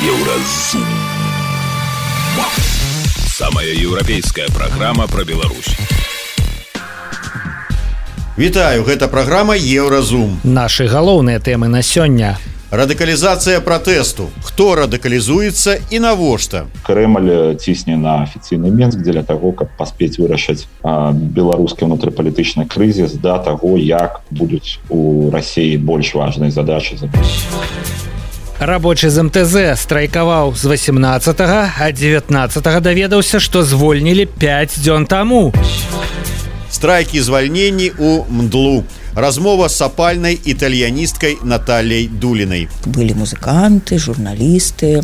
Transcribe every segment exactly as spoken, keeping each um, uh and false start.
Еўразум. Самая еўрапейская праграма пра Беларусь. Вітаю, гэта праграма Еўразум. Нашы галоўныя тэмы на сёння. Радыкалізацыя пратэсту. Хто радыкалізуецца і навошта? Крэмль цісне на афіцыйны Мінск дзеля таго, каб паспець вырашыць беларускі ўнутрыпалітычны крызіс да таго, як будуць у Расіі больш важныя задачы. Рабочы з эм тэ зэ страйкаваў з васемнаццатага, а дзевятнаццатага даведаўся, што звольнілі пяць дзён таму. Страйкі звальненні ў МДЛУ. Размова с сапальной итальянисткой Натальей Дулиной. Были музыканты, журналисты,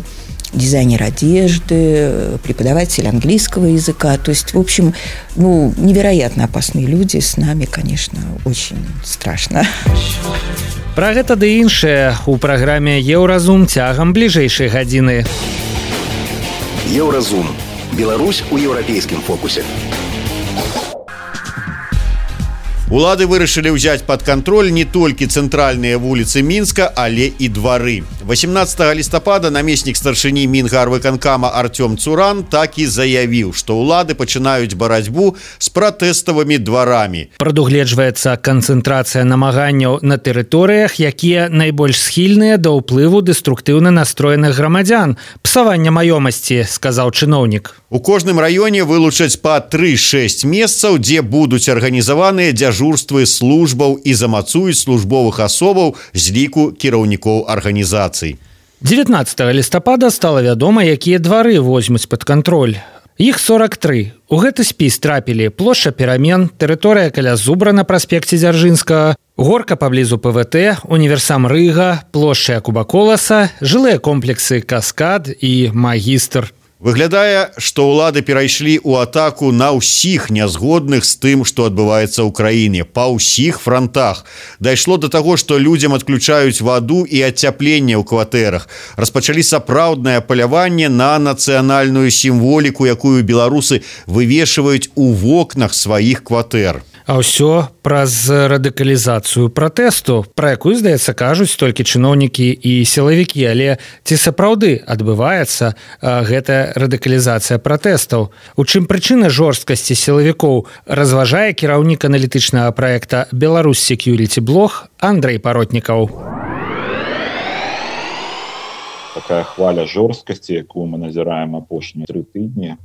дизайнер одежды, преподаватель английского языка. То есть, в общем, ну, невероятно опасные люди. С нами, конечно, очень страшно. Пра гэта ды іншае у праграме Еўразум цягам бліжэйшай гадзіны. Еўразум. Беларусь у еўрапейскім фокусе. Улады вырашылі ўзяць пад кантроль не толькі цэнтральныя вуліцы Мінска, але і двары. васемнаццатага лістапада намеснік старшыні Мінгарвыканкама Артём Цуран так і заявіў, што ўлады пачынаюць барацьбу з пратэставымі дварамі. Прадугледжваецца канцэнтрацыя намаганняў на тэрыторыях, якія найбольш схільныя да ўплыву дэструктыўна настроеных грамадзян. Псавання маёмасці, сказаў чыноўнік. У кожным раёне вылучаць па тры-шэсць месцаў, дзе будуць арганізаваныя дзяжурствы службаў і замацуюць службовых асобаў з ліку кіраўнікоў арганізацый. дзевятнаццатага лістапада стала вядома, якія двары возьмуць пад кантроль. Іх сорак тры. У гэты спіс трапілі плошча Перамен, тэрыторыя каля Зубра на праспекце Дзяржынскага, горка паблізу пэ вэ тэ, універсам Рыга, плошча Якуба Коласа, жылыя комплексы Каскад і Магістр. Выглядае, што ўлады перайшлі ў атаку на ўсіх нязгодных з тым, што адбываецца ў краіне, па ўсіх франтах. Дайшло да таго, што людзям адключаюць ваду і адцяпленне ў кватэрах. Распачалі сапраўднае паляванне на нацыянальную сімволіку, якую беларусы вывешваюць у вокнах сваіх кватэр. А ўсё праз радыкалізацыю пратэсту, пра якую, здаецца, кажуць толькі чыноўнікі і сілавікі, але ці сапраўды адбываецца гэтая радыкалізацыя пратэстаў? У чым прычына жорсткасці сілавікоў, разважае кіраўнік аналітычнага праекта «Беларусь Security Blog» Андрэй Паротнікаў. Такая хваля жорсткасці, якую мы назіраем апошнія тры тыдні,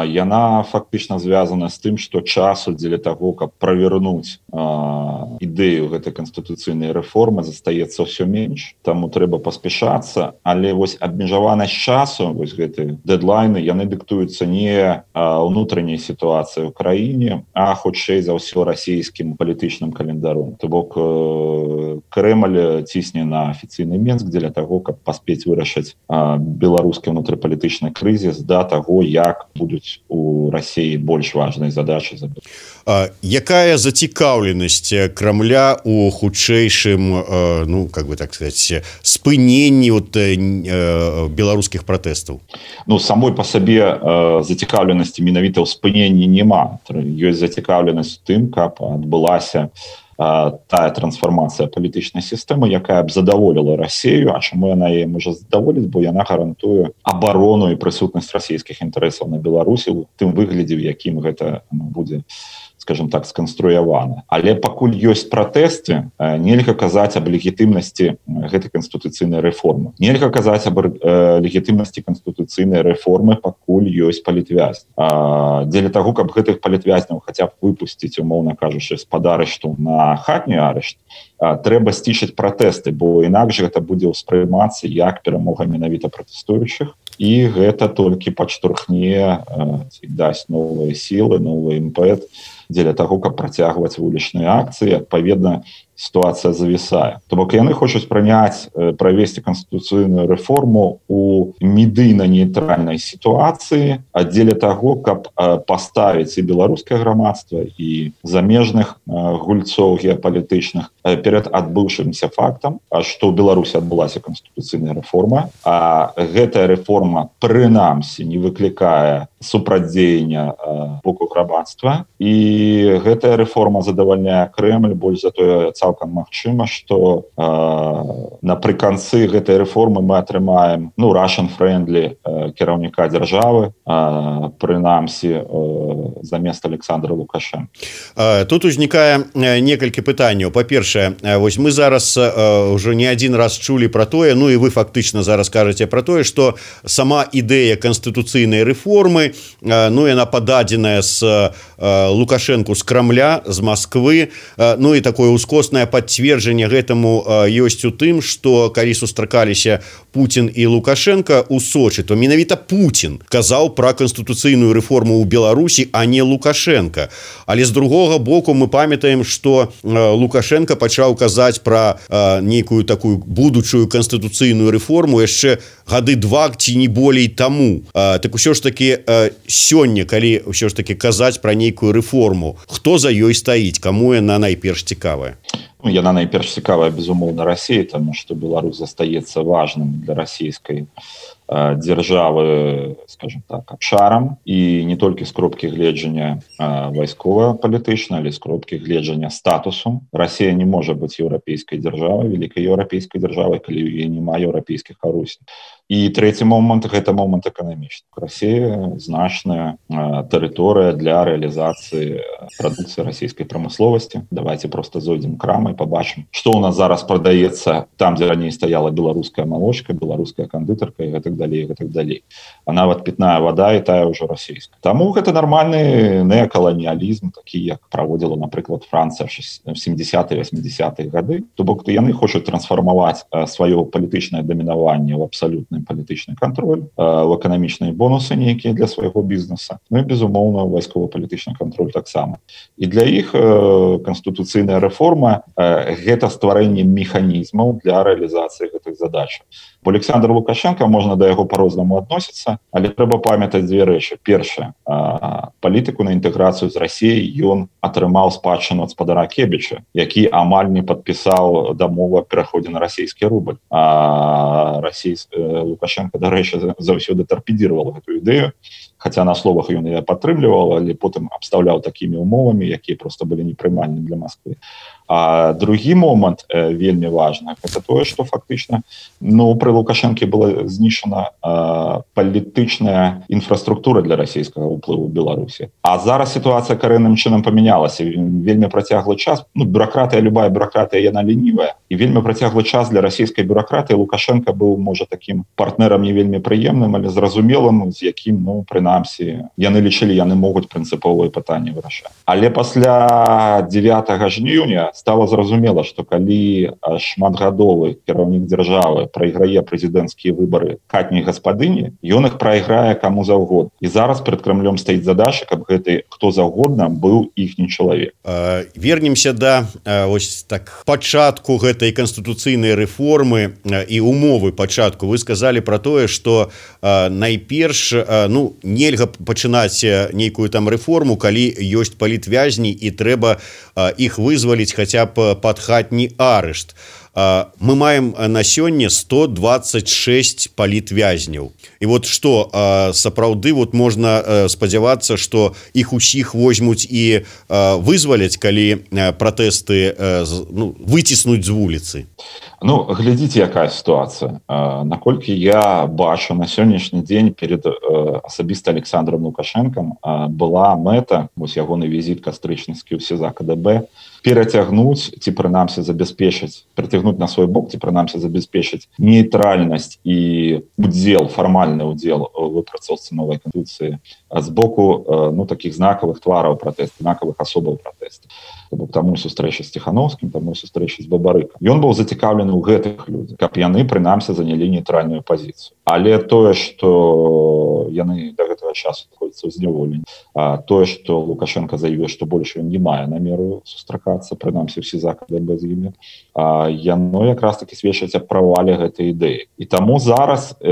яна фактычна звязана з тым, што часу дзеля таго, каб правернуць ідэю гэтай канстытуцыйнай рэформы, застаецца ўсё менш. Таму трэба паспяшацца, але вось абмежаванасць часу, вось гэты дэдлайны, яны дыктуюцца не ўнутранняй сітуацыі ў краіне, а хутчэй за ўсё расійскім палітычным календаром. То бок Крэмль цісне на афіцыйны Мінск дзеля таго, каб паспець вырашыць беларускі ўнутрыпалітычны крызіс да таго, як будуць у Расіі больш важныя задачы. А якая зацікаўленасць Крамля у хутчэйшым, ну, как бы так сказать, спыненні от, беларускіх пратэстаў? Ну, самой па сабе зацікаўленасці менавіта ў спыненні няма. Ёсць зацікаўленасць у тым, каб адбылася тая трансфармацыя палітычнай сістэмы, якая б задаволіла Расію. А чаму яна яе можа задаволіць? Бо яна гарантуе абарону і прысутнасць расійскіх інтарэсаў на Беларусі ў тым выглядзе, в якім гэта будзе, скажем так, сканструявана. Але пакуль ёсць пратэсты, нельга казаць аб легітымнасці гэтай канстытуцыйнай рэформы. Нельга казаць аб легітымнасці канстытуцыйнай рэформы, пакуль ёсць палітвязні. Дзеля таго, каб гэтых палітвязняў хаця б выпусціць, умоўна кажучы, з-пад арышту на хатні арышт, трэба сцішыць пратэсты, бо інакш гэта будзе ўспрымацца як перамога менавіта пратэстуючых, і гэта толькі падштурхне, дасць новыя сілы, новы імпэт дзеля таго, каб працягваць вулічныя акцыі. Адпаведна, сітуацыя завісае. То бок яны хочуць прыняць, правесці канстытуцыйную рэформу у медыйна-нейтральнай сітуацыі, а дзеля таго, каб паставіць і беларускае грамадства, і замежных гульцоў геапалітычных перад адбыўшымся фактам, што ў Беларусі адбылася канстытуцыйная рэформа, а гэтая рэформа прынамсі не выклікае супрацьдзеяння боку грамадства, і гэтая рэформа задавальняе Крэмль. Больш за тое, цалкам магчыма, што напрыканцы гэтай рэформы мы атрымаем ну Russian-friendly кіраўніка дзяржавы, прынамсі замест Александра Лукашенко. Тут узнікае некалькі пытанняў. Па-першае, вось мы зараз ўжо не адзін раз чулі пра тое, ну і вы фактычна зараз кажаце пра тое, што сама ідэя канстытуцыйнай рэформы, ну яна пададзеная з Лукашенку з Крамля, з Масквы, ну і такое ускоснае пацверджанне гэтаму ёсць у тым, што калі сустракаліся Путін і Лукашенко у Сочы, то менавіта Путін казаў пра канстытуцыйную рэформу ў Беларусі, а не Лукашенко. Але з другога боку мы памятаем, што Лукашенко пачаў казаць пра нейкую такую будучую канстытуцыйную рэформу яшчэ гады два ці не болей таму. Так усё ж таки сёння, калі ўсё ж таки казаць пра нейкую рэформу, хто за ёй стаіць, каму яна найперш цікавая? Ну, яна найперш цікавая, безумоўна, Расіі, таму што Беларусь застаецца важным для расійскай дзяржавы, скажем так, абшарам, і не толькі з кропкі гледжання вайскова-палітычна, але з кропкі гледжання статусу. Расія не можа быць еўрапейскай дзяржавай, вялікай еўрапейскай дзяржавай, калі ў яе няма еўрапейскіх арусень. І трэці момант – гэта момант эканамічны. Расія значная тэрыторыя для рэалізацыі прадукцыі расійскай прамысловасці. Давайте просто зойдзем крамай, пабачым, што ў нас зараз прадаецца там, дзе раней стаяла беларуская малочка, беларуская кандытарка і гэтак далей, гэтак далей. А нават пітная вада і тая ўжо расійская. Таму гэта нармальны неакаланіялізм, такі, як праводзіла, напрыклад, Францыя в сямдзесятыя-васьмідзесятыя гады. То бок яны хочуць трансфармаваць сваё палітычнае дамінаванне ў абсалютны палітычны кантроль, в эканамічныя бонусы нейкія для свайго бізнеса, ну і, безумоўна, вайскова-палітычны кантроль таксама. І для іх канстытуцыйная рэформа – гэта стварэнне механізмаў для рэалізацыі гэтых задач. Бо Александр Лукашенко, можна да яго па-рознаму адносіцца, але трэба памятаць дзве рэчы. Першае, палітыку на інтэграцыю з Расіяй ён атрымаў спадчыну ад спадара Кебіча, які амаль не падпісаў дамову аб пераходзе на расійскі рубль. А расійскі Лукашенко, дарэчы, заўсёды тарпедзіраваў гэту ідэю, хаця на словах ён яе падтрымліваў, але потым абстаўляў такімі умовамі, якія проста былі непрымальнымі для Масквы. А другі момант э, вельмі важны, гэта тое, што фактычна ну, пры Лукашенке была знішчана э, палітычная інфраструктура для расійскага ўплыву ў Беларусі. А зараз сітуацыя карэнным чынам памянялася. Вельмі працяглы час, ну, бюракратыя, любая бюракратыя, яна ленівая. І вельмі працяглы час для расійскай бюракратыі Лукашенко быў, можа, такім партнерам не вельмі прыемным, але зразумелым, з якім, ну, прынамсі, яны лічылі, яны могуць прынцыповыя пытанні вырашаць. Але пасля дзевятага жніўня стало зразумела, што калі шматгадовы кіраўнік дзяржавы прайграе прэзідэнцкія выбары хатняй гаспадыні, ён іх прайграе каму заўгодна. І зараз перад Крамлём стаіць задача, каб гэты хто заўгодна быў іхні чалавек. Вернемся да ось так пачатку гэтай канстытуцыйнай рэформы і умовы пачатку. Вы сказалі пра тое, што найперш ну нельга пачынаць нейкую там рэформу, калі ёсць палітвязні і трэба іх вызваліць хаця б пад хатні арышт. Мы маем на сёння сто двадцать шесть палітвязняў. І вот што сапраўды вот можна спадзявацца, што іх усіх возьмуць і вызваляць, калі пратэсты ну, выціснуць з вуліцы. Ну, глядзіце, якая сітуацыя. Наколькі я бачу, на сённяшні дзень перед асабіста Александром Лукашенком была мэта, вось ягоны візіт кастрычніцкі ў СІЗА КДБ, перацягнуць ці прынамсі забяспечыць, прыцягнуць на свой бок ці прынамсі забяспечыць нейтральнасць і удзел, фармальны удзел у выпрацоўцы новай канстытуцыі з боку ну, такіх знакавых твараў пратэсту, знакавых асобаў пратэсту. Таму сустрэча з Ціхановскім, таму сустрэча з Бабарыкам. Ён быў зацікаўлены ў гэтых людзях, каб яны прынамсі занялі нейтральную пазіцыю. Але тое, што яны да гэтага часу знаходзяцца ў зняволенні, а тое, што Лукашенко заявіў, што больш ён не мае намеру сустракацца, прынамсі ў СІЗА КДБ з імі, а яно якраз таки сведчыць аб правале гэтай ідэі. І таму зараз э,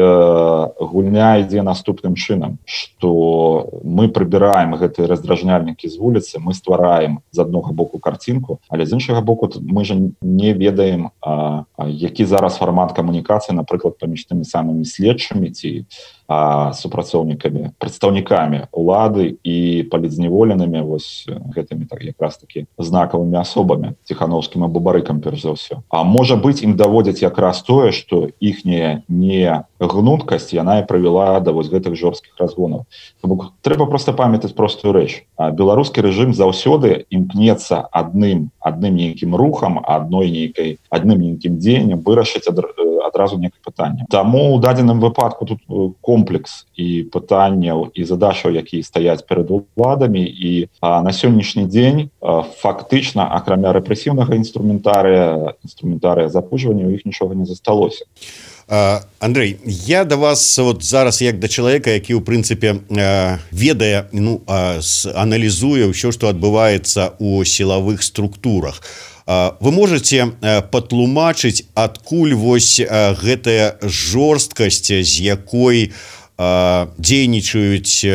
гульня ідзе наступным чынам, што мы прыбіраем гэтыя раздражняльнікі з вуліцы, мы ствараем з аднога боку карцінку, але з іншага боку мы ж не ведаем, а, а, які зараз фармат камунікацыі, напрыклад, паміж тымі самымі следчымі ці а супрацоўнікамі прадстаўнікамі улады і палітзняволенымі вось гэтымі так якраз такі знакавымі асобамі Ціхановскім або Барыкам перш за ўсё. А можа быць ім даводзяць якраз тое, што іхняя не гнуткасць яна і прывяла да вось гэтых жорсткіх разгонаў. Бо трэба проста памятаць простую рэч. Беларускі рэжым заўсёды імкнецца адным адным нейкім рухам, адной нейкай адным нейкім дзеяннем вырашыць адразу некае пытанне. Таму у дадзеным выпадку тут комплекс і пытанняў і задачаў, якія стаяць перад уладамі, і а, на сённяшні дзень а, фактычна акрамя рэпрэсіўнага інструментарыя інструментарыя запужвання у іх нічога не засталося. Uh, Андрей, я да вас вот зараз як да чалавека, які ў прынцыпе uh, ведае, ну, uh, аналізуе ўсё, што адбываецца ў сілавых структурах. Uh, вы можете uh, патлумачыць, адкуль вось uh, гэтая жорсткасць, з якой дзейнічаюць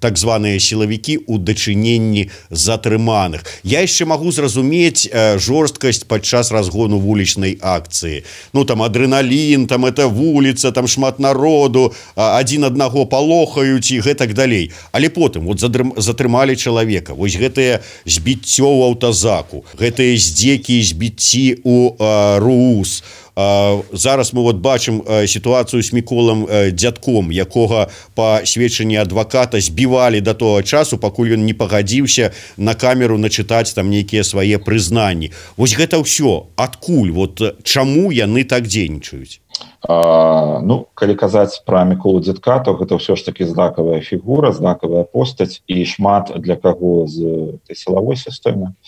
так званыя сілавікі ў дачыненні затрыманых. Я яшчэ магу зразумець жорсткасць падчас разгону вулічнай акцыі. Ну там адрэналін, там это вуліца, там шмат народу, адзін аднаго палохаюць і гэтак далей. Але потым вот затрымалі чалавека. Вось гэтае збіццё ў аўтазаку, гэтыя здзекі і збіцці ў РУС. Uh, зараз мы вот бачым uh, сітуацыю з Міколам uh, Дзядком, якога па сведчанні адваката збівалі да того часу, пакуль ён не пагадзіўся на камеру начытаць там нейкія свае прызнанні. Вось гэта ўсё адкуль, вот чаму яны так дзейнічаюць? А, ну, калі казаць пра Міколу Дзядка, то гэта ўсё ж такі знакавая фігура, знакавая постаць, і шмат для каго з tej сілавой сістэмы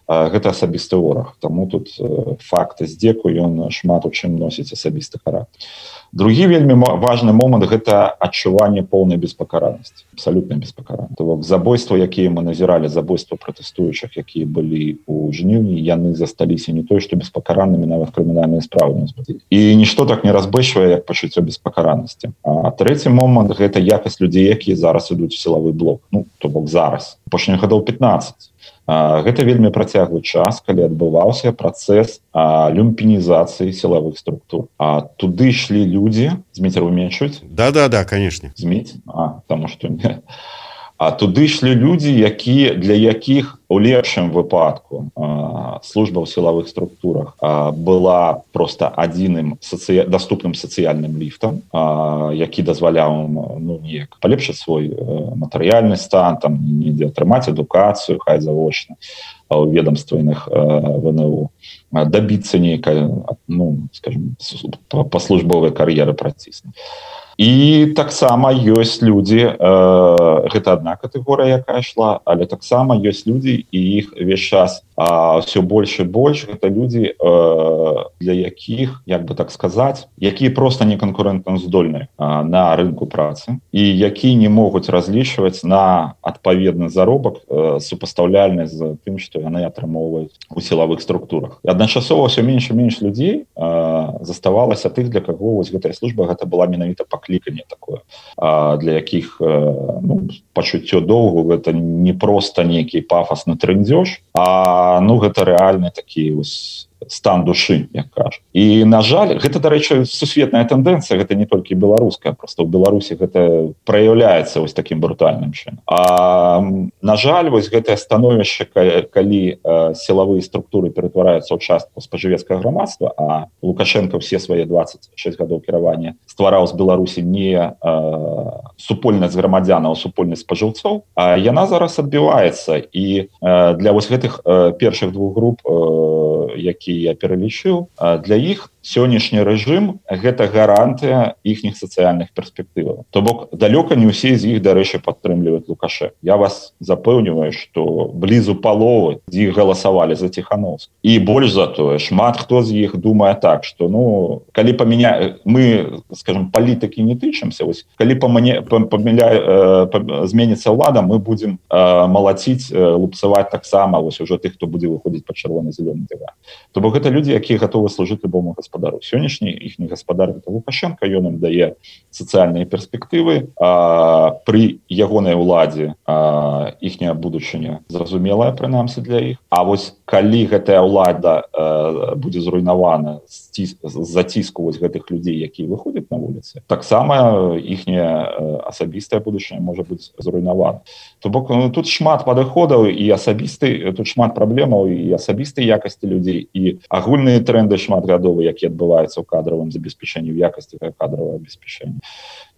гэта асабісты вораг. Таму тут факт здзеку ён шмат у чым носіць асабісты характар. Другі вельмі важны момант гэта адчуванне поўнай беспакаранасці, абсалютнай беспакаранасці. То бок забойства, якія мы назіралі, забойства пратэстуючых, якія былі ў жніўні, яны засталіся не той, што беспакаранымі, нават крымінальныя справы. І нішто так не разбэшвае, як пачуццё беспакаранасці. А трэці момант гэта якасць людзей, якія зараз ідуць у сілавы блок. Ну, то бок зараз, апошніх гадоў пятнаццаць. Гэта вельмі працяглы час, калі адбываўся працэс люмпінізацыі сілавых структур. А туды ішлі людзі, Зміцер уменьшуць? Да-да-да, конечно. Зміць? А, таму што не. А туды ішлі людзі, які, для якіх у лепшым выпадку а, служба ў сілавых структурах а, была проста адзіным сацыя... даступным сацыяльным ліфтам, а, які дазваляў ну, неяк палепшыць свой а, матэрыяльны стан, там, недзе атрымаць адукацыю, хай завочна у ведомственных вэ эн у, дабіцца нейкай, ну, скажем, па службовай кар'еры праціснуць. І таксама ёсць людзі, э, гэта адна катэгорыя, якая ішла, але таксама ёсць людзі, і іх увесь час а, ўсё больш і больш, гэта людзі, э, для якіх, як бы так сказаць, якія проста не канкурэнтаздольныя а, на рынку працы, і якія не могуць разлічваць на адпаведны заробак э, супастаўляльны з тым, што яны атрымоўваюць у сілавых структурах. І адначасова ўсё менш і менш людзей э, заставалася тых, для каго вось гэтая служба гэта была менавіта пакліканне такое, а, для якіх э, ну, пачуццё доўгу гэта не проста нейкі пафасны трындзёж, а ну гэта рэальны такі вось стан душы, як кажа. І, на жаль, гэта, дарэчы, сусветная тэндэнцыя, гэта не толькі беларуская, проста ў Беларусі гэта праяўляецца вось такім брутальным чынам. А, на жаль, вось гэтае становішча, калі э, сілавыя структуры ператвараюцца ў частку спажывецкага грамадства, а Лукашенко ўсе свае дваццаць шэсць гадоў кіравання ствараў з Беларусі не э, супольнасць грамадзянаў, а супольнасць спажыўцоў, а яна зараз адбіваецца. І э, для вось гэтых э, першых двух груп, э, які я пералічыў, для іх сённяшні рэжым гэта гарантыя іхніх сацыяльных перспектываў. То бок далёка не ўсе з іх, дарэчы, падтрымліваюць Лукашенка. Я вас запэўніваю, што блізу паловы з іх галасавалі за Ціхановскага. І больш за тое, шмат хто з іх думае так, што ну калі памяня мы, скажем, палітыкі не тычымся, вось калі памяня... памяля... зменіцца ўлада, мы будзем э, малаціць, э, лупцаваць таксама вось ужо тых, хто будзе выходзіць пад чырвона-зялёны дыван. То бок гэта людзі, якія гатовы служыць любому гаспадару. Сённяшні іхні гаспадар гэта Лукашенко, ён ім дае сацыяльныя перспектывы, а пры ягонай уладзе а, іхняя будучыня зразумелая, прынамсі для іх. А вось калі гэтая ўлада а, будзе зруйнавана з заціску вось гэтых людзей, якія выходзяць на вуліцы. Таксама іхняя асабістая будучыня можа быць зруйнавана. То бок тут шмат падыходаў і асабісты, тут шмат праблемаў і асабістай якасці людзей, і агульныя тренды шматгадовыя, якія адбываюцца ў кадравым забеспячэнні, ў якасці кадравага абеспячэння.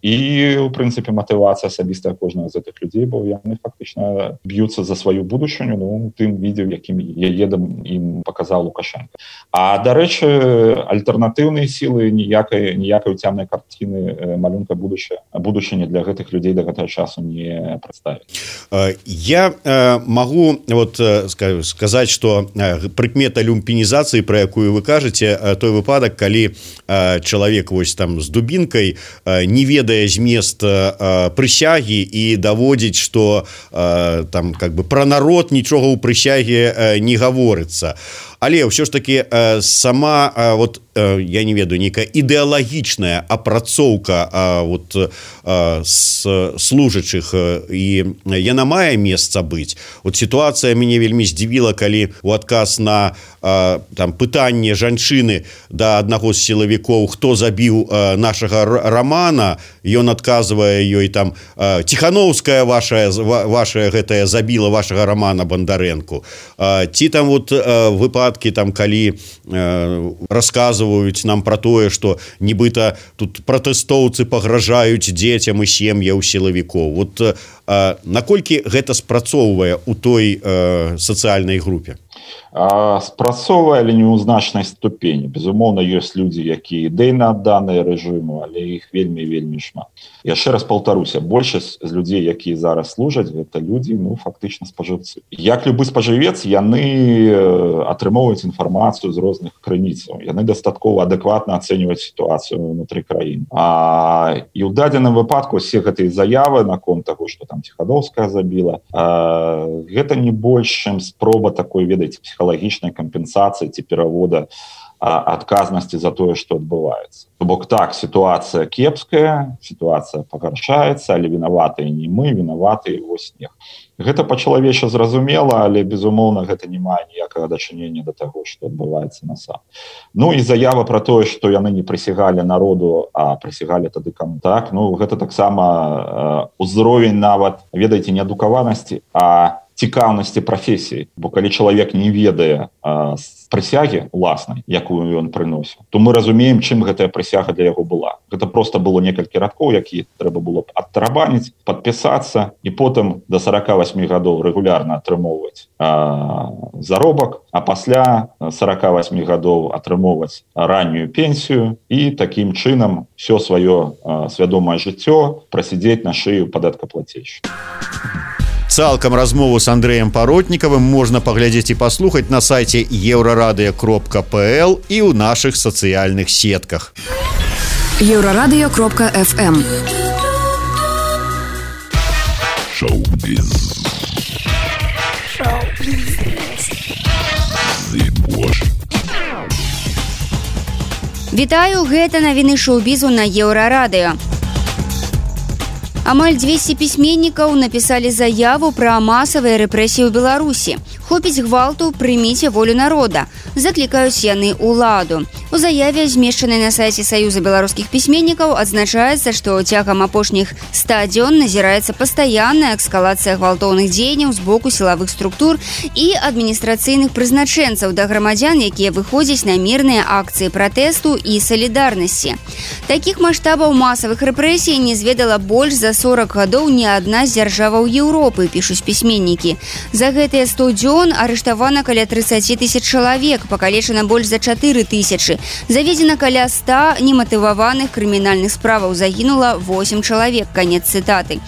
І, у прынцыпе, матывацыя асабістая кожнага з гэтых людзей, бо яны фактычна б'юцца за сваю будучыню, ну, тым відзе, якім яе ім паказаў Лукашенко. А, дарэчы, альтэрнатыўныя сілы ніякай, ніякай уцямнай карціны малюнка будучыні для гэтых людзей да гэтага часу не прадставіць. Я магу вот сказаць, што прыкмета люмпінізацыі, пра якую вы кажаце, той выпадак, калі чалавек вось там з дубінкай не ведае змест прысягі і даводзіць, што там как бы пра народ нічога ў прысяге не гаворыцца. Але ўсё ж таки сама вот я не ведаю, нейкая ідэалагічная апрацоўка вот служачых, і яна мае месца быць. Вот сітуацыя мяне вельмі здзівіла, калі у адказ на там пытанне жанчыны да аднаго з сілавікоў, хто забіў нашага Рамана, ён адказвае ёй там: Ціхановская ваша, ваша гэтая забіла вашага Рамана Бандарэнку. Ці там вот выпадкі, там калі расказваюць нам пра тое, што нібыта тут пратэстоўцы пагражаюць дзецям і сем'ям сілавікоў. Вот наколькі гэта спрацоўвае ў той сацыяльнай групе? Спрацоўвае, але не ў значнай ступені. Безумоўна, ёсць людзі, якія ідэйна адданыя рэжыму, але іх вельмі-вельмі шмат. Яшчэ раз паўтаруся, большасць з людзей, якія зараз служаць, гэта людзі, ну, фактычна спажыўцы. Як любы спажывец, яны атрымоўваюць інфармацыю з розных крыніцаў. Яны дастаткова адэкватна ацэньваюць сітуацыю ўнутры краіны. А, і ў дадзеным выпадку усе гэтыя заявы наконт таго, што там Ціхановская забіла, а, гэта не больш, чым спроба такой, ведаеце, псіхалагічнай кампенсацыі ці перавода адказнасці за тое, што адбываецца. То бок так, сітуацыя кепская, сітуацыя пагаршаецца, але вінаватыя не мы, вінаватыя вось снег. Гэта па-чалавеча зразумела, але, безумоўна, гэта не мае ніякага дачынення да таго, што адбываецца насам. Ну і заява пра тое, што яны не прысягалі народу, а прысягалі тады каму. Так, ну гэта таксама узровень нават, ведаеце, не адукаванасці, а цікаўнасці прафесіі. Бо калі чалавек не ведае а, прысягі уласнай, якую ён прыносіў, то мы разумеем, чым гэтая прысяга для яго была. Гэта проста было некалькі радкоў, якія трэба было адтарабаніць, падпісацца і потым да сорока восьми гадоў рэгулярна атрымоўваць а, заробак, а пасля сорока восьми гадоў атрымоўваць раннюю пенсію і такім чынам все сваё а, свядомае жыццё прасядзець на шыю падаткаплацельшчыка. Цалкам размову з Андрэем Паротнікавым можна паглядзець і паслухаць на сайце еўрарадыё кропка пэ эл і ў нашых сацыяльных сетках. еўрарадыё кропка эф эм. Шоу-біз. Вітаю, гэта навіны шоу-бізу на еўрарадыё. Амаль двести пісьменнікаў напісалі заяву пра масавыя рэпрэсіі ў Беларусі. Хопіць гвалту, прыміце волю народа. Заклікаюць яны ўладу. У заяве, змешчанай на сайце Саюза беларускіх пісьменнікаў, адзначаецца, што цягам апошніх ста дзён назіраецца пастаянная эскалацыя гвалтоўных дзеянняў з боку сілавых структур і адміністрацыйных прызначэнцаў да грамадзян, якія выходзяць на мірныя акцыі пратэсту і салідарнасці. Такіх маштабаў масавых рэпрэсій не зведала больш за сорок гадоў ні адна з дзяржаваў Еўропы, пішуць пісьменнікі. За гэтыя сто дзён арыштавана каля тридцать тысяч чалавек, пакалечана больш за чатыры тысячы. Заведзена каля ста нематываваных крымінальных справаў, загінула восемь чалавек. Канец цытаты.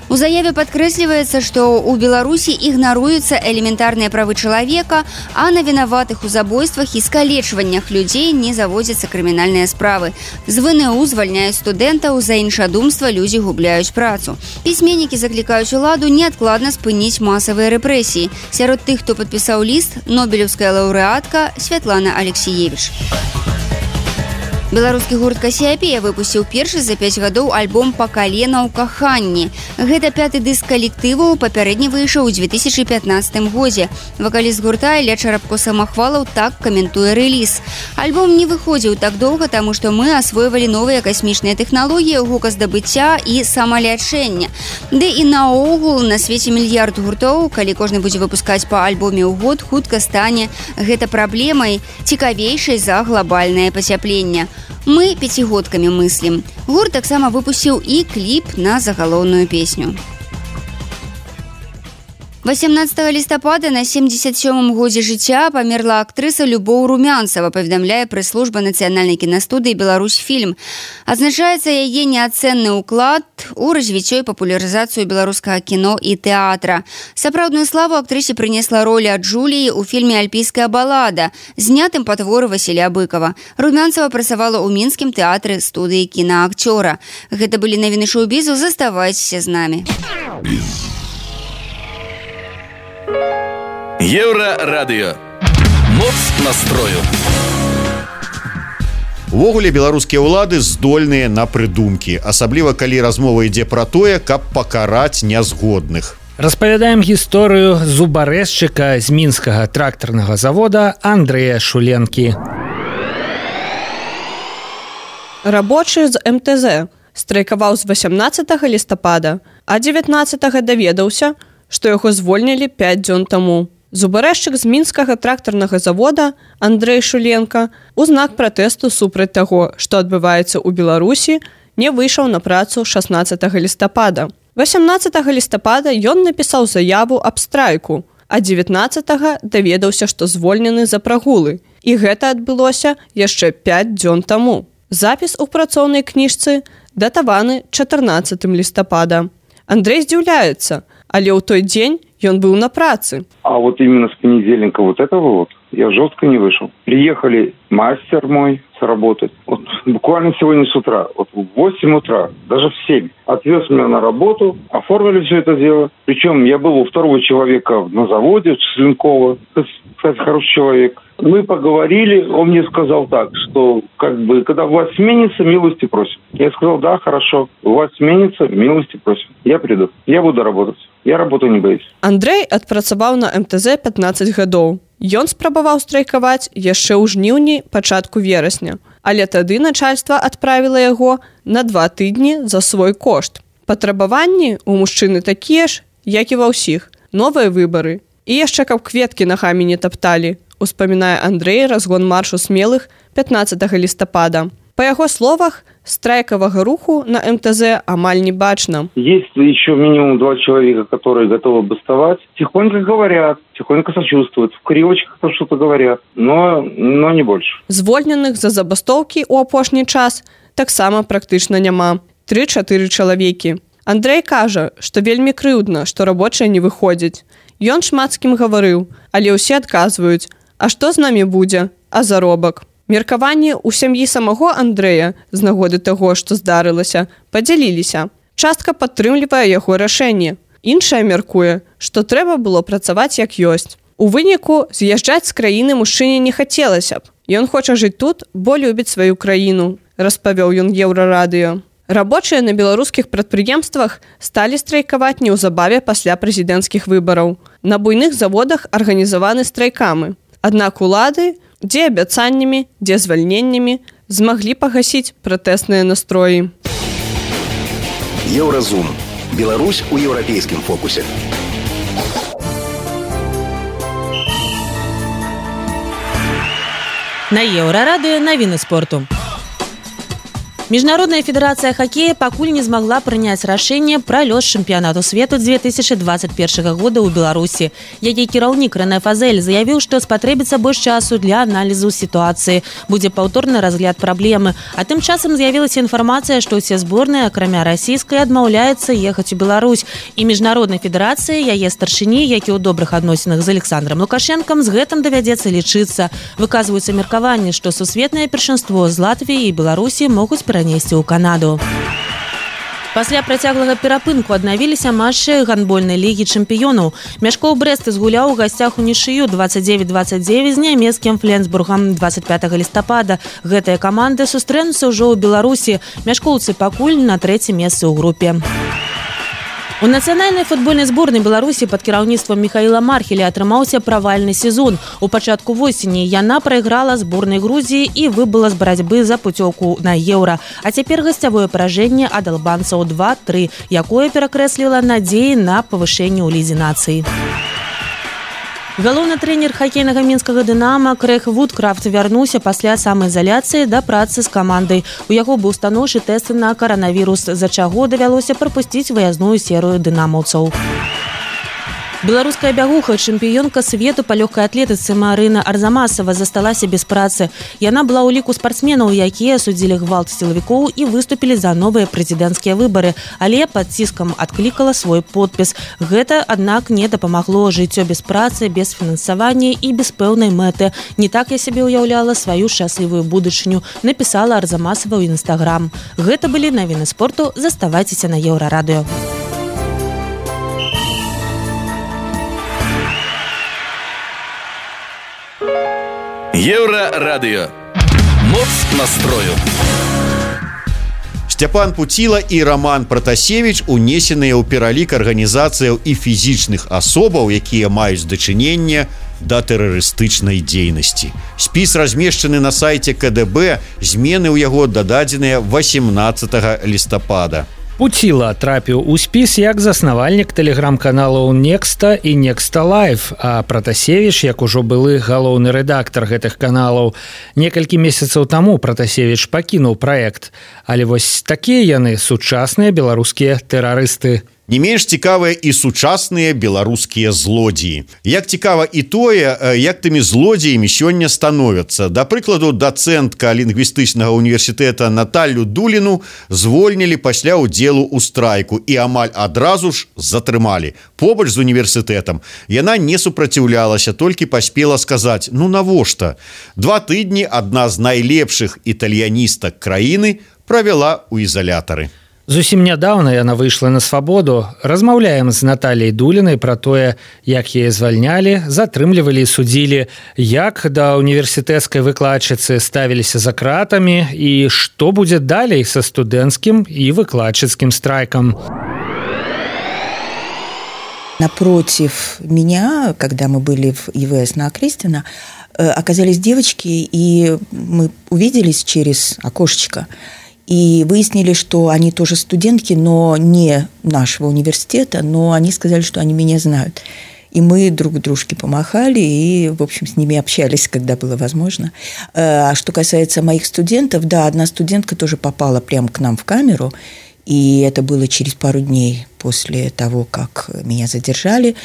У заяве падкрэсліваецца, што ў Беларусі ігнаруюцца элементарныя правы чалавека, а на вінаватых у забойствах і скалечваннях людзей не заводзяцца крымінальныя справы. З вэ эн у звальняюць студэнтаў, за іншадумства людзі губляюць працу. Пісьменнікі заклікаюць уладу неадкладна спыніць масавыя рэпрэсіі. Сярод тых, хто падпісаў ліст, нобелеўская лаўрэатка Святлана Алексіевіч. Беларускі гурт «Кассіапія» выпусціў першы за пяць гадоў альбом «Па калена ў каханні». Гэта пяты дыск калектыву, папярэдні выйшаў у две тысячы пятнаццатым годзе. Вакаліст гурта Ілля Чарапко-Самахвалаў так каментуе рэліз. Альбом не выходзіў так доўга, таму што мы асвойвалі новыя касмічныя тэхналогіі гуказдабыцця і самалячэння. Ды і наогул на свеце мільярд гуртоў, калі кожны будзе выпускаць па альбоме ў год, хутка стане гэта праблемай цікавейшай за глобальнае пацяпленне. Мы пяцігодкамі мыслім. Гурт таксама выпусціў і кліп на загалоўную песню. восемнадцатага лістапада на семьдесят сёмым годзе жыцця памерла актрыса Любоў Румянцева, паведамляе прэс-служба нацыянальнай кінастудыі «Беларусьфільм». Адзначаецца яе неацэнны ўклад у развіццё і папулярызацыю беларускага кіно і тэатра. Сапраўдную славу актрысе прынесла роля Джуліі ў фільме «Альпійская балада», знятым па творы Васіля Быкова. Румянцева працавала ў мінскім тэатры студыі кінаакцёра. Гэта былі навіны шоу-бізу, заставайцеся з намі. Еўрарадыё. Моц настрою. Увогуле беларускія ўлады здольныя на прыдумкі, асабліва калі размова ідзе пра тое, каб пакараць нязгодных. Распавядаем гісторыю зубарэзчыка з мінскага трактарнага завода Андрэя Шуленкі. Рабочы з эм тэ зэ страйкаваў з васямнаццатага лістапада, а дзевятнаццатага даведаўся, што яго звольнілі пяць дзён таму. Зубарэзчык з мінскага трактарнага завода Андрэй Шуленка у знак пратэсту супраць таго, што адбываецца ў Беларусі, не выйшаў на працу шаснаццатага лістапада. васямнаццатага лістапада ён напісаў заяву аб страйку, а дзевятнаццатага даведаўся, што звольнены за прагулы. І гэта адбылося яшчэ пяць дзён таму. Запіс у працоўнай кніжцы датаваны чатырнаццатым лістапада. Андрэй здзіўляецца, але ў той дзень ён быў на працы. А вот именно с понедельника вот этого вот я жестко не вышел. Приехали мастер мой сработать. Вот буквально сегодня с утра, вот в восемь утра, даже в семь, отвез меня на работу, оформили все это дело. Причем я был у второго человека на заводе, Членкова, кстати, хороший человек. Мы поговорили, он мне сказал так, что как бы, когда власть сменится, милости просим. Я сказал, да, хорошо, власть сменится, милости просим. Я приду, я буду работать. Я работаю не боюсь. Андрэй адпрацаваў на эм тэ зэ пятнаццаць гадоў. Ён спрабаваў страйкаваць яшчэ ў жніўні, пачатку верасня. Але тады начальства адправіла яго на два тыдні за свой кошт. Патрабаванні у мужчыны такія ж, як і ва ўсіх. Новыя выбары. І яшчэ каб кветкі нагамі не тапталі, успамінае Андрэй разгон маршу смелых пятнаццатага лістапада. По яго словах, страйкавага руху на эм тэ зэ амаль не бачна. Есть еще минимум два человека, которые готовы бастовать. Тихонько говорят, тихонько сочувствуют, в кривочках что-то говорят, но, но не больше. Звольненых за забастоўкі ў апошні час таксама практычна няма. Тры-чатыры чалавекі. Андрэй кажа, што вельмі крыўдна, што рабочыя не выходзяць. Ён шмат з кім гаварыў, але ўсе адказваюць, а што з намі будзе, а заробак? Меркаванні ў сям'і самого Андрэя з нагоды таго, што здарылася, падзяліліся. Частка падтрымлівае яго рашэнне. Іншая мяркуе, што трэба было працаваць як ёсць. У выніку з'язджаць з краіны мужчыне не хацелася б. Ён хоча жыць тут, бо любіць сваю краіну, распавёў ён Еўрарадыё. Рабочыя на беларускіх прадпрыемствах сталі страйкаваць неўзабаве пасля прэзідэнцкіх выбараў. На буйных заводах арганізаваны страйкамы. Аднак улады, дзе абяцаннямі, дзе звальненнямі, змаглі пагасіць пратэсныя настроі. Еўразум. Беларусь у еўрапейскім фокусе. На Еўрарадыё навіны спорту. Міжнародная федэрацыя хакея пакуль не змагла прыняць рашэнне пра лёс чэмпіянату свету две тысячи двадцать першага года ў Беларусі. Яе кіраўнік Рэне Фазель заявіў, што спатрэбіцца больш часу для аналізу сітуацыі. Будзе паўторны разгляд праблемы. А тым часам з'явілася інфармацыя, што ўсе зборныя, акрамя расійскай, адмаўляюцца ехаць у Беларусь. І міжнароднай федэрацыі, яе старшыні, які ў добрых адносінах з Александром Лукашенкам, з гэтым давядзецца лічыцца. Выказваюцца меркаванні, што сусветнае першынство з Латвіі і Беларусі могуць перанесці ў Канаду. Пасля працяглага перапынку аднавіліся матчы гандбольнай лігі чэмпіёнаў. Мяшкоў Брэст згуляў у гасцях унічыю двадцать девять двадцать девять з нямецкім Фленсбургам двадцать пятага лістапада. Гэтыя каманды сустрэнуцца ўжо ў Беларусі. Мяшкоўцы пакуль на трэцім месцы ў групе. У нацыянальнай футбольнай зборнай Беларусі пад кіраўніцтвам Михаіла Мархеля атрымаўся правальны сезон. У пачатку восені яна прайграла зборнай Грузіі і выбыла з барацьбы за пуцёўку на еўра. А цяпер гасцявое паражэнне ад албанцаў два тры, якое перакрэсліла надзеі на павышэнне ў лізе нацый. Галоўны трэнер хакейнага мінскага «Дынама» Крэг Вудкрафт вярнуўся пасля самаізаляцыі да працы з камандай. У яго быў станоўчы тэст на каранавірус, з-за чаго давялося прапусціць выязную серыю дынамаўцаў. Беларуская бягуха, чэмпіёнка свету па лёгкай атлетыцы Марына Арзамасова засталася без працы. Яна была ў ліку спартсменаў, якія судзілі гвалт сілавікоў і выступілі за новыя прэзідэнцкія выбары, але пад ціскам адклікала свой подпіс. Гэта, аднак, не дапамагло. Жыццё без працы, без фінансавання і без пэўнай мэты. Не так я сябе ўяўляла сваю шчаслівую будучыню, напісала Арзамасова ў Інстаграм. Гэта былі навіны спорту. Заставайцеся на Еўрарадыё. Еўрарадыё. Моц настрою. Сцяпан Пуціла і Роман Пратасевіч унесеныя ў пералік арганізацыяў і фізічных асобаў, якія маюць дачыненне да тэрарыстычнай дзейнасці. Спіс размешчаны на сайце ка дэ бэ, змены ў яго дададзеныя восемнадцатага лістапада. Пуціла трапіў у спіс як заснавальнік тэлеграм-каналаў Некста і Некста Лайв, а Пратасевіч, як ужо былы галоўны рэдактар гэтых каналаў. Некалькі месяцаў таму Пратасевіч пакінуў праект, але вось такія яны сучасныя беларускія тэрарысты. Не менш цікавыя і сучасныя беларускія злодзеі. Як цікава і тое, як тымі злодзеямі сёння становяцца. Да прыкладу, дацэнтка лінгвістычнага універсітэта Наталлю Дуліну звольнілі пасля ўдзелу ў страйку і амаль адразу ж затрымалі. Побач з універсітэтам яна не супраціўлялася, толькі паспела сказаць: «Ну навошта?» Два тыдні адна з найлепшых італьяністак краіны правяла ў ізалятары. Зусім нядаўна яна выйшла на свабоду. Размаўляем з Натальяй Дулінай пра тое, як яе звальнялі, затрымлівалі і судзілі, як да універсітэцкай выкладчыцы ставіліся за кратамі і што будзе далей са студэнцкім і выкладчыцкім страйкам. Напротив меня, когда мы были в и вэ эс на Окрестина, оказались девочки, и мы увиделись через окошечко. И выяснили, что они тоже студентки, но не нашего университета, но они сказали, что они меня знают. И мы друг дружке помахали и, в общем, с ними общались, когда было возможно. А что касается моих студентов, да, одна студентка тоже попала прямо к нам в камеру, и это было через пару дней после того, как меня задержали.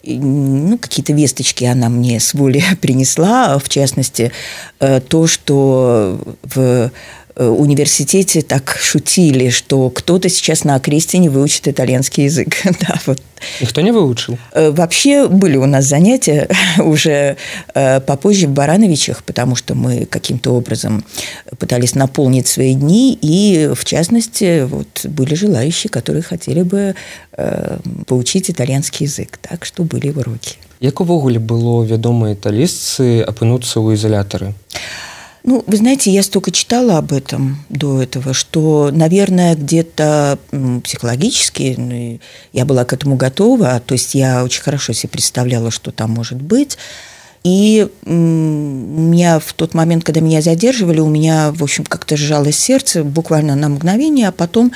И, ну, какие-то весточки она мне с воли принесла, в частности, то, что в университете так шутили, что кто-то сейчас на Окрестине выучит итальянский язык. Да, вот. Никто не выучил? Вообще были у нас занятия уже попозже в Барановичах, потому что мы каким-то образом пытались наполнить свои дни, и в частности вот, были желающие, которые хотели бы поучить итальянский язык. Так что были уроки. Як увогуле было вядома італійцы апынуцца ў изолятары? Ну, вы знаете, я столько читала об этом до этого, что, наверное, где-то психологически ну, я была к этому готова, то есть я очень хорошо себе представляла, что там может быть. И у меня в тот момент, когда меня задерживали, у меня, в общем, как-то сжалось сердце буквально на мгновение, а потом,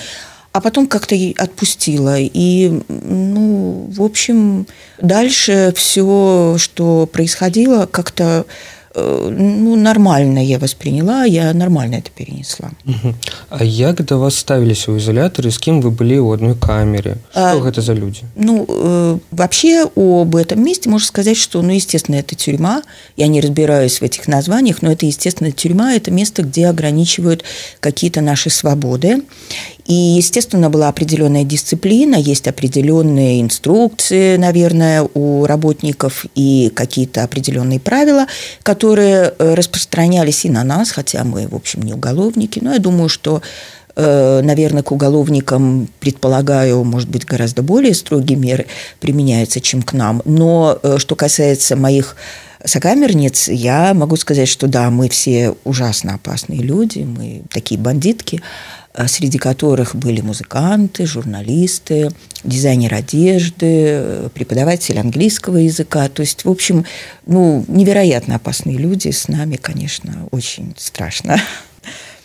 а потом как-то отпустила. И, ну, в общем, дальше все, что происходило, как-то ну, нормально я восприняла, я нормально это перенесла. Угу. А як да вас ставіліся ў изолятары, з кім вы былі ў одной камере? Что а, гэта за люди? Ну, э, вообще об этом месте можно сказать, что, ну, естественно, это тюрьма. Я не разбираюсь в этих названиях, но это, естественно, тюрьма, это место, где ограничивают какие-то наши свободы. И, естественно, была определенная дисциплина, есть определенные инструкции, наверное, у работников и какие-то определенные правила, которые распространялись и на нас, хотя мы, в общем, не уголовники. Но я думаю, что наверное, к уголовникам, предполагаю, может быть, гораздо более строгие меры применяются, чем к нам. Но что касается моих сокамерниц, я могу сказать, что да, мы все ужасно опасные люди, мы такие бандитки, среди которых были музыканты, журналисты, дизайнер одежды, преподаватель английского языка. То есть, в общем, ну, невероятно опасные люди. С нами, конечно, очень страшно.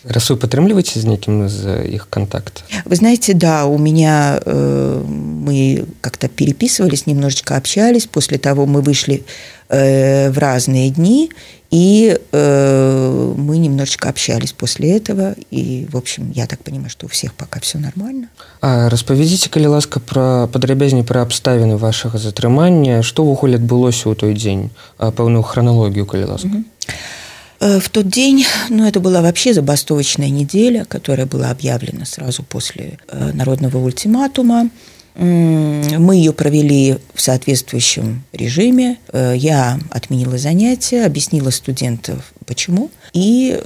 Раз вы падтрымліваеце з некім из их контакт? Вы знаете, да, у меня э, мы как-то переписывались, немножечко общались. После того мы вышли э, в разные дни, и э, мы немножечко общались после этого. И, в общем, я так понимаю, что у всех пока все нормально. А распавядзіце, калі ласка, пра падрабязней пра абставіны вашага затрымання, што ўвогуле адбылося ў той дзень, пэўную хронологію, калі ласка. Mm-hmm. В тот день, ну, это была вообще забастовочная неделя, которая была объявлена сразу после народного ультиматума. Мы ее провели в соответствующем режиме. Я отменила занятия, объяснила студентам, почему. И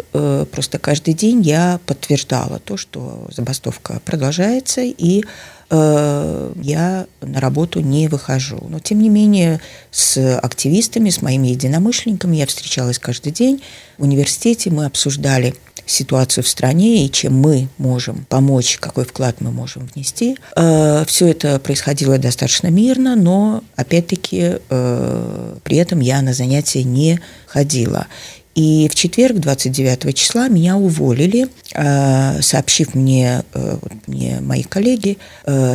просто каждый день я подтверждала то, что забастовка продолжается, и я на работу не выхожу. Но, тем не менее, с активистами, с моими единомышленниками я встречалась каждый день. В университете мы обсуждали ситуацию в стране и чем мы можем помочь, какой вклад мы можем внести. Все это происходило достаточно мирно, но, опять-таки, при этом я на занятия не ходила. И в четверг, двадцать девятого числа, меня уволили, сообщив мне, мне мои коллеги,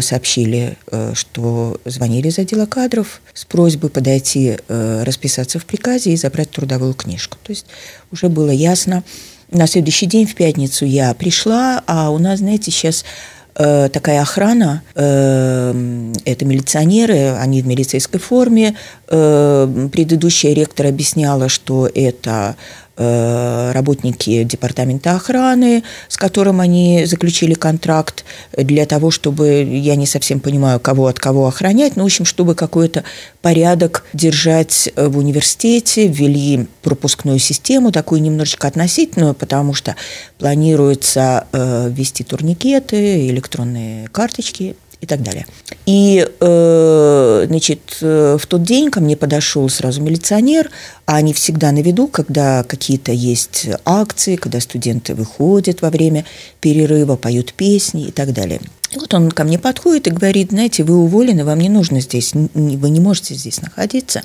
сообщили, что звонили из отдела кадров с просьбой подойти, расписаться в приказе и забрать трудовую книжку. То есть уже было ясно. На следующий день, в пятницу, я пришла, а у нас, знаете, сейчас такая охрана, это милиционеры, они в милицейской форме. Предыдущая ректор объясняла, что это работники департамента охраны, с которым они заключили контракт для того, чтобы, я не совсем понимаю, кого от кого охранять, но, в общем, чтобы какой-то порядок держать в университете, ввели пропускную систему, такую немножечко относительную, потому что планируется ввести турникеты, электронные карточки и так далее. И, э, значит, в тот день ко мне подошел сразу милиционер, а они всегда на виду, когда какие-то есть акции, когда студенты выходят во время перерыва, поют песни и так далее. И вот он ко мне подходит и говорит: знаете, вы уволены, вам не нужно здесь, вы не можете здесь находиться.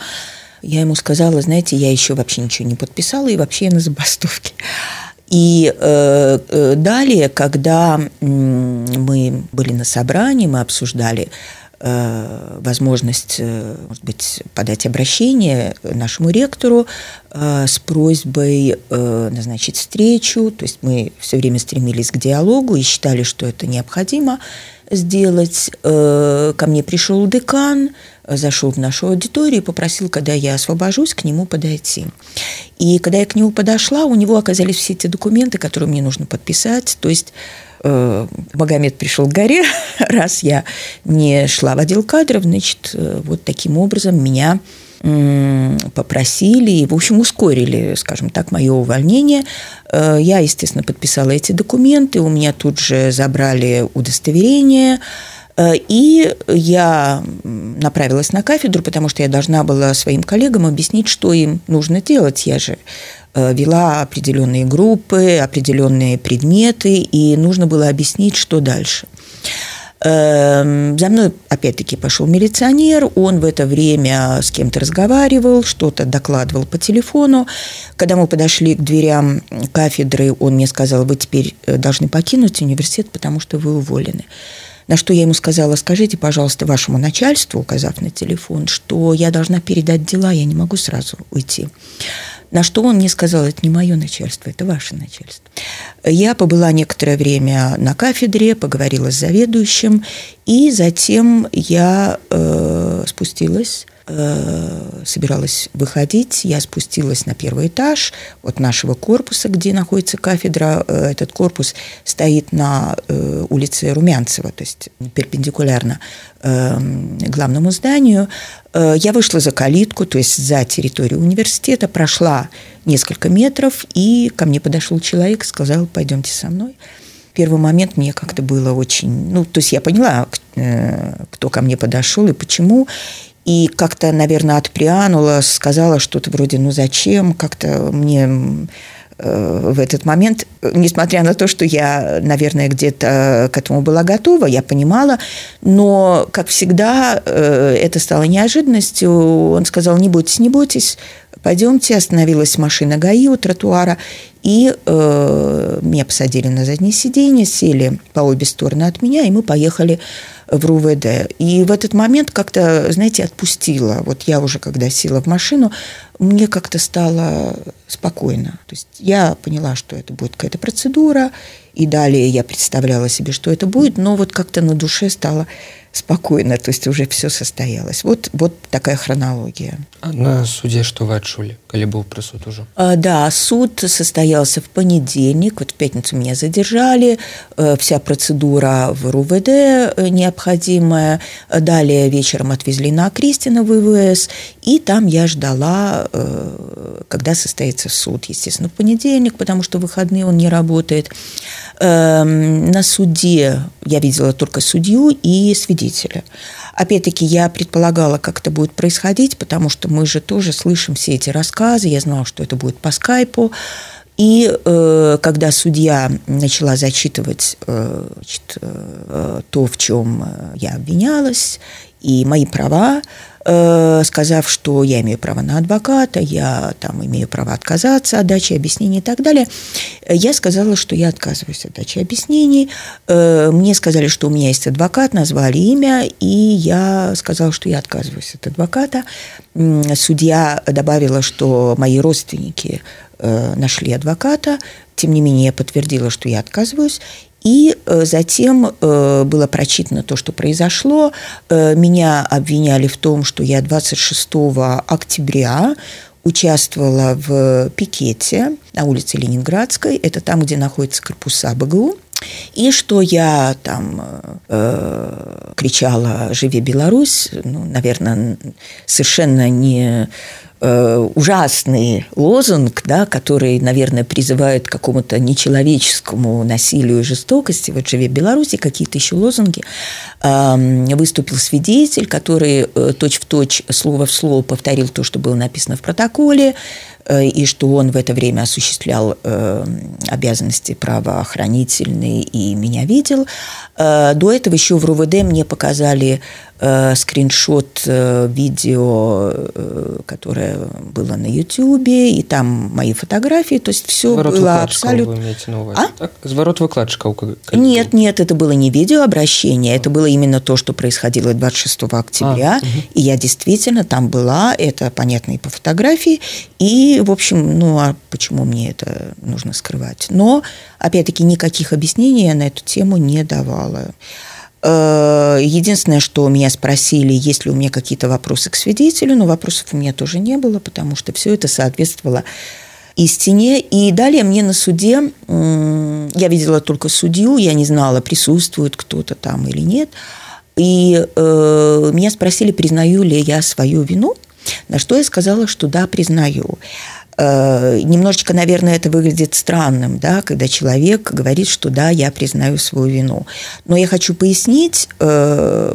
Я ему сказала: знаете, я еще вообще ничего не подписала, и вообще я на забастовке. И э, э, далее, когда э, мы были на собрании, мы обсуждали э, возможность, э, может быть, подать обращение нашему ректору э, с просьбой э, назначить встречу. То есть мы все время стремились к диалогу и считали, что это необходимо сделать. Э, ко мне пришел декан, зашел в нашу аудиторию и попросил, когда я освобожусь, к нему подойти. И когда я к нему подошла, у него оказались все те документы, которые мне нужно подписать. То есть э, Магомед пришел к горе, раз я не шла в отдел кадров, значит, э, вот таким образом меня э, попросили и, в общем, ускорили, скажем так, мое увольнение. Э, я, естественно, подписала эти документы, у меня тут же забрали удостоверение. И я направилась на кафедру, потому что я должна была своим коллегам объяснить, что им нужно делать. Я же вела определенные группы, определенные предметы, и нужно было объяснить, что дальше. За мной, опять-таки, пошел милиционер, он в это время с кем-то разговаривал, что-то докладывал по телефону. Когда мы подошли к дверям кафедры, он мне сказал: вы теперь должны покинуть университет, потому что вы уволены. На что я ему сказала: скажите, пожалуйста, вашему начальству, указав на телефон, что я должна передать дела, я не могу сразу уйти. На что он мне сказал: это не мое начальство, это ваше начальство. Я побыла некоторое время на кафедре, поговорила с заведующим, и затем я э, спустилась, э, собиралась выходить, я спустилась на первый этаж от нашего корпуса, где находится кафедра. Этот корпус стоит на э, улице Румянцева, то есть перпендикулярно э, главному зданию. Я вышла за калитку, то есть за территорию университета, прошла несколько метров, и ко мне подошел человек и сказал: пойдемте со мной. первый момент мне как-то было очень... Ну, то есть я поняла, кто ко мне подошел и почему. И как-то, наверное, отпрянула, сказала что-то вроде «ну зачем?». Как-то мне в этот момент, несмотря на то, что я, наверное, где-то к этому была готова, я понимала, но, как всегда, это стало неожиданностью. Он сказал «не бойтесь, не бойтесь, пойдемте». Остановилась машина ГАИ у тротуара, и э, меня посадили на заднее сиденье, сели по обе стороны от меня, и мы поехали в РУВД. И в этот момент как-то, знаете, отпустила. Вот я уже, когда села в машину, мне как-то стало спокойно. То есть я поняла, что это будет какая-то процедура, и далее я представляла себе, что это будет, но вот как-то на душе стало спокойно, то есть уже все состоялось. Вот, вот такая хронология. А на суде что вы отчули, коли был присуд уже? А, да, суд состоялся в понедельник, вот в пятницу меня задержали, вся процедура в РУВД необходимая, далее вечером отвезли на Окрестино в ИВС, и там я ждала, когда состоится суд, естественно, в понедельник, потому что в выходные он не работает. На суде я видела только судью и свидетеля. Опять-таки, я предполагала, как это будет происходить, потому что мы же тоже слышим все эти рассказы. Я знала, что это будет по скайпу. И э, когда судья начала зачитывать э, значит, э, то, в чем я обвинялась, и мои права, э, сказав, что я имею право на адвоката, я там имею право отказаться от дачи объяснений и так далее, я сказала, что я отказываюсь от дачи объяснений. Э, мне сказали, что у меня есть адвокат, назвали имя, и я сказала, что я отказываюсь от адвоката. Судья добавила, что мои родственники нашли адвоката, тем не менее я подтвердила, что я отказываюсь, и затем было прочитано то, что произошло. Меня обвиняли в том, что я двадцать шестого октября участвовала в пикете на улице Ленинградской, это там, где находятся корпуса БГУ, и что я там э, кричала «Живи Беларусь», ну, наверное, совершенно не э, ужасный лозунг, да, который, наверное, призывает к какому-то нечеловеческому насилию и жестокости. Вот «Живи Беларусь» и какие-то еще лозунги. Э, выступил свидетель, который э, точь-в-точь, слово в слово повторил то, что было написано в протоколе, и что он в это время осуществлял э, обязанности правоохранительные и меня видел. Э, до этого еще в РУВД мне показали э, скриншот э, видео, э, которое было на Ютьюбе, и там мои фотографии, то есть все было абсолютно... Вы имеете на увазі, а? Так? Зворот выкладчиков? Нет, нет, это было не видеообращение, это было именно то, что происходило двадцать шестого октября, а, угу. И я действительно там была, это понятно и по фотографии, и в общем, ну, а почему мне это нужно скрывать? Но, опять-таки, никаких объяснений я на эту тему не давала. Единственное, что меня спросили, есть ли у меня какие-то вопросы к свидетелю, но вопросов у меня тоже не было, потому что все это соответствовало истине. И далее мне на суде, я видела только судью, я не знала, присутствует кто-то там или нет, и э, меня спросили, признаю ли я свою вину, на что я сказала, что да, признаю. Э, немножечко, наверное, это выглядит странным, да, когда человек говорит, что да, я признаю свою вину. Но я хочу пояснить, э,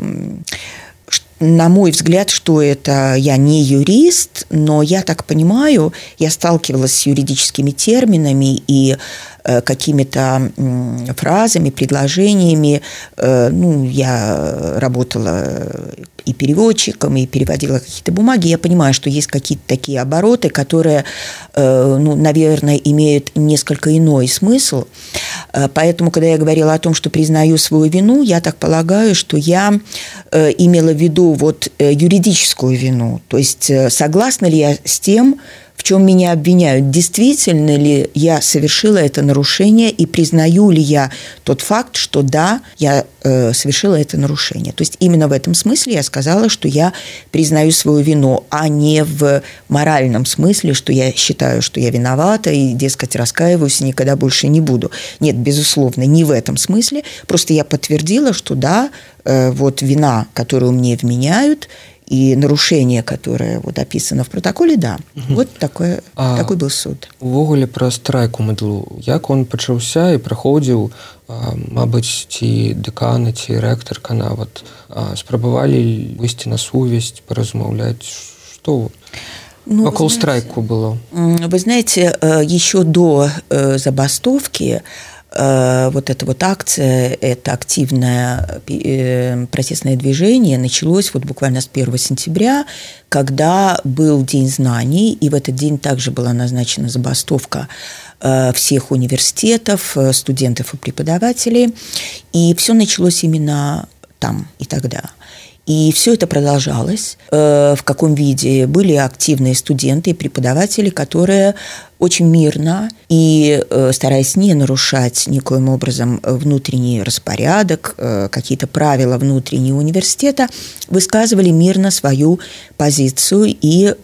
на мой взгляд, что это я не юрист, но я так понимаю, я сталкивалась с юридическими терминами и э, какими-то э, фразами, предложениями. Э, ну, я работала и переводчиком, и переводила какие-то бумаги. Я понимаю, что есть какие-то такие обороты, которые, э, ну, наверное, имеют несколько иной смысл. Э, поэтому, когда я говорила о том, что признаю свою вину, я так полагаю, что я э, имела в виду вот юридическую вину. То есть согласна ли я с тем, в чем меня обвиняют, действительно ли я совершила это нарушение и признаю ли я тот факт, что да, я э, совершила это нарушение. То есть именно в этом смысле я сказала, что я признаю свою вину, а не в моральном смысле, что я считаю, что я виновата и, дескать, раскаиваюсь и никогда больше не буду. Нет, безусловно, не в этом смысле. Просто я подтвердила, что да, э, вот вина, которую мне вменяют, и нарушение, которое вот описано в протоколе, да. Угу. Вот такое, а такой был суд. Увогуле пра страйк у МДЛУ. Як он пачаўся і праходзіў, мабыць, ці дэканы, ці рэктарка нават спрабавалі выйсці на сувязь, паразмаўляць, што ну, вакол страйку было? Вы знаете, еще до забастовки вот эта вот акция, это активное протестное движение началось вот буквально с первого сентября, когда был День знаний, и в этот день также была назначена забастовка всех университетов, студентов и преподавателей, и все началось именно там и тогда. И все это продолжалось. В каком виде? Были активные студенты и преподаватели, которые очень мирно и стараясь не нарушать никоим образом внутренний распорядок, какие-то правила внутреннего университета, высказывали мирно свою позицию и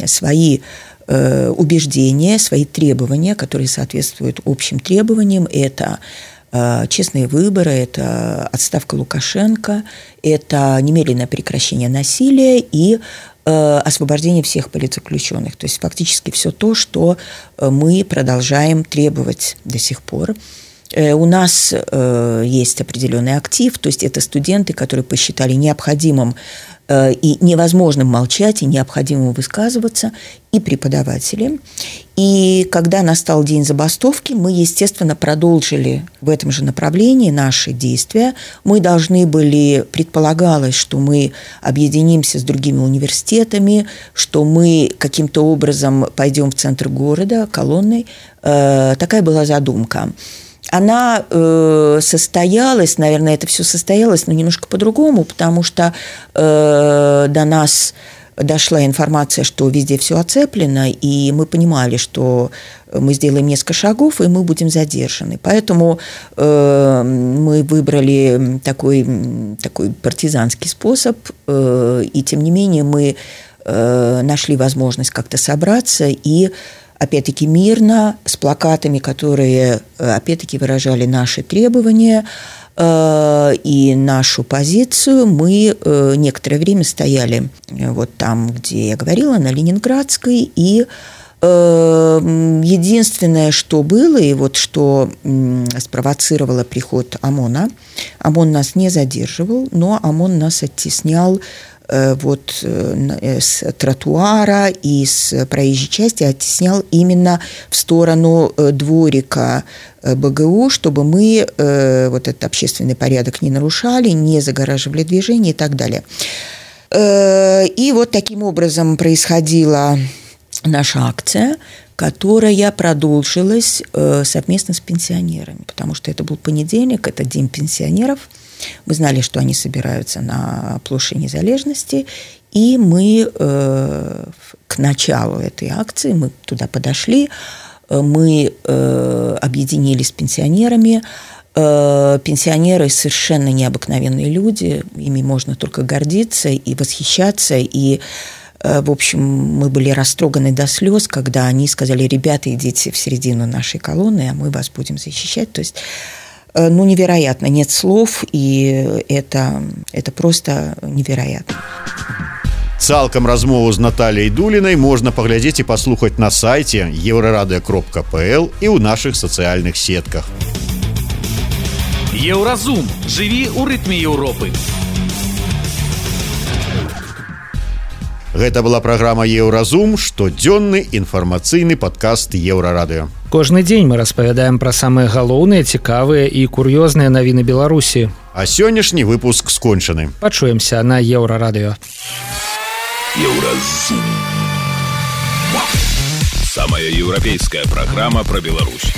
свои убеждения, свои требования, которые соответствуют общим требованиям. Это честные выборы, это отставка Лукашенко, это немедленное прекращение насилия и э, освобождение всех политзаключенных. То есть фактически все то, что мы продолжаем требовать до сих пор. Э, у нас э, есть определенный актив, то есть это студенты, которые посчитали необходимым э, и невозможным молчать, и необходимым высказываться, и преподаватели. И когда настал день забастовки, мы, естественно, продолжили в этом же направлении наши действия. Мы должны были, предполагалось, что мы объединимся с другими университетами, что мы каким-то образом пойдем в центр города колонной. Такая была задумка. Она э, состоялась, наверное, это все состоялось, но немножко по-другому, потому что э, до нас дошла информация, что везде все оцеплено, и мы понимали, что мы сделаем несколько шагов, и мы будем задержаны. Поэтому э, мы выбрали такой, такой партизанский способ, э, и тем не менее мы э, нашли возможность как-то собраться и опять-таки мирно, с плакатами, которые опять-таки выражали наши требования и нашу позицию. Мы некоторое время стояли вот там, где я говорила, на Ленинградской, и единственное, что было, и вот что спровоцировало приход ОМОНа, ОМОН нас не задерживал, но ОМОН нас оттеснял вот с тротуара и с проезжей части, оттеснял именно в сторону дворика БГУ, чтобы мы вот этот общественный порядок не нарушали, не загораживали движение и так далее. И вот таким образом происходила наша акция, которая продолжилась совместно с пенсионерами, потому что это был понедельник, это День пенсионеров. Мы знали, что они собираются на площади Незалежности, и мы э, к началу этой акции, мы туда подошли, мы э, объединились с пенсионерами. Э, пенсионеры совершенно необыкновенные люди, ими можно только гордиться и восхищаться, и э, в общем, мы были растроганы до слез, когда они сказали: ребята, идите в середину нашей колонны, а мы вас будем защищать. То есть ну, невероятно, нет слов, и это, это просто невероятно. Цалкам размову з Натальяй Дулінай можна паглядзець і паслухаць на сайце еўрарадыё кропка пл і ў нашых сацыяльных сетках. Еўразум. Жыві ў рытме Еўропы. Гэта была праграма «Еўразум», штодзённы інфармацыйны падкаст Еўрарадыё. Кожны дзень мы распавядаем пра самыя галоўныя, цікавыя і кур'ёзныя навіны Беларусі. А сённяшні выпуск скончаны. Пачуемся на Еўрарадыё. Еўразум. Самая еўрапейская праграма пра Беларусь.